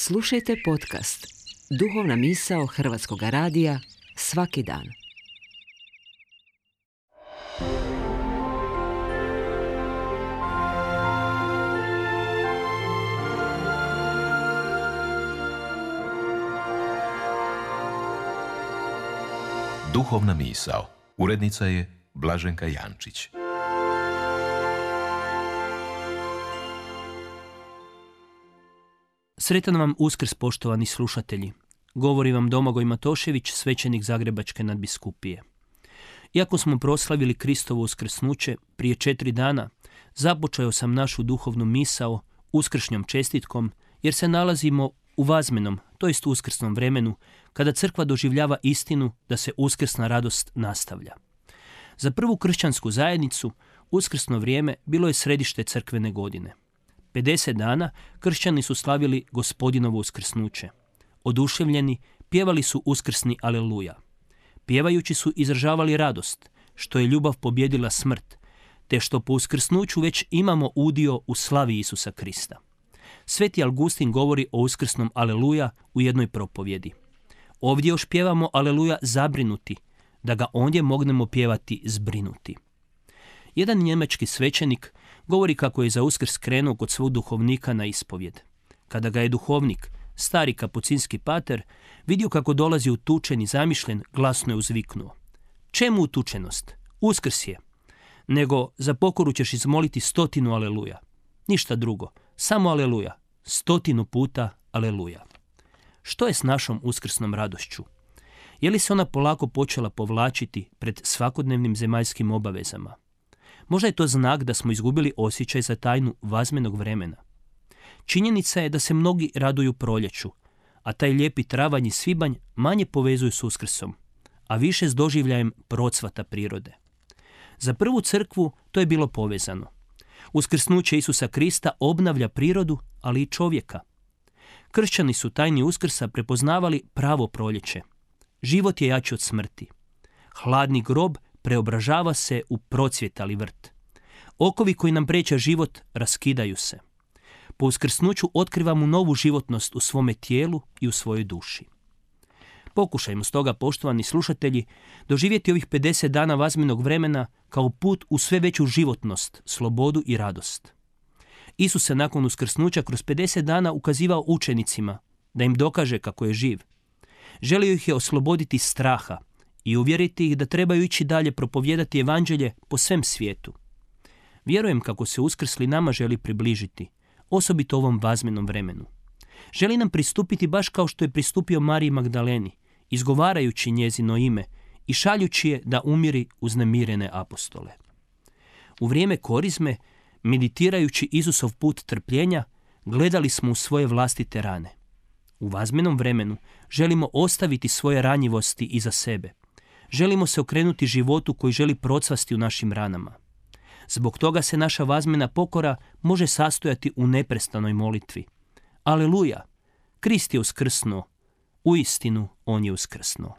Slušajte podcast Duhovna misao Hrvatskog radija svaki dan. Duhovna misao. Urednica je Blaženka Jančić. Sretan vam Uskrs, poštovani slušatelji. Govori vam Domagoj Matošević, svećenik Zagrebačke nadbiskupije. Iako smo proslavili Kristovo uskrsnuće prije 4 dana, započeo sam našu duhovnu misao uskršnjom čestitkom, jer se nalazimo u vazmenom, to jest uskrsnom vremenu, kada crkva doživljava istinu da se uskrsna radost nastavlja. Za prvu kršćansku zajednicu uskrsno vrijeme bilo je središte crkvene godine. 50 dana kršćani su slavili Gospodinovo uskrsnuće. Oduševljeni pjevali su uskrsni aleluja. Pjevajući su izražavali radost, što je ljubav pobjedila smrt, te što po uskrsnuću već imamo udio u slavi Isusa Krista. Sveti Augustin govori o uskrsnom aleluja u jednoj propovjedi. Ovdje još pjevamo aleluja zabrinuti, da ga ondje mognemo pjevati zbrinuti. Jedan njemački svećenik govori kako je za Uskrs krenuo kod svog duhovnika na ispovjed. Kada ga je duhovnik, stari kapucinski pater, vidio kako dolazi utučen i zamišljen, glasno je uzviknuo: "Čemu utučenost? Uskrs je. Nego za pokoru ćeš izmoliti 100 aleluja. Ništa drugo, samo aleluja. 100 puta aleluja." Što je s našom uskrsnom radošću? Je li se ona polako počela povlačiti pred svakodnevnim zemaljskim obavezama? Možda je to znak da smo izgubili osjećaj za tajnu vazmenog vremena. Činjenica je da se mnogi raduju proljeću, a taj lijepi travanj i svibanj manje povezuju s Uskrsom, a više s doživljajem procvata prirode. Za prvu crkvu to je bilo povezano. Uskrsnuće Isusa Krista obnavlja prirodu, ali i čovjeka. Kršćani su tajni Uskrsa prepoznavali pravo proljeće. Život je jači od smrti. Hladni grob preobražava se u procvjetali vrt. Okovi koji nam priječe život raskidaju se. Po uskrsnuću otkrivamo novu životnost u svome tijelu i u svojoj duši. Pokušajmo stoga, poštovani slušatelji, doživjeti ovih 50 dana vazmenog vremena kao put u sve veću životnost, slobodu i radost. Isus se nakon uskrsnuća kroz 50 dana ukazivao učenicima da im dokaže kako je živ. Želio ih je osloboditi straha i uvjeriti ih da trebaju ići dalje propovijedati evanđelje po svem svijetu. Vjerujem kako se uskrsli nama želi približiti, osobito ovom vazmenom vremenu. Želi nam pristupiti baš kao što je pristupio Mariji Magdaleni, izgovarajući njezino ime i šaljući je da umiri uznemirene apostole. U vrijeme korizme, meditirajući Isusov put trpljenja, gledali smo u svoje vlastite rane. U vazmenom vremenu želimo ostaviti svoje ranjivosti iza sebe. Želimo se okrenuti životu koji želi procvasti u našim ranama. Zbog toga se naša vazmena pokora može sastojati u neprestanoj molitvi. Aleluja! Krist je uskrsnuo. Uistinu, on je uskrsnuo.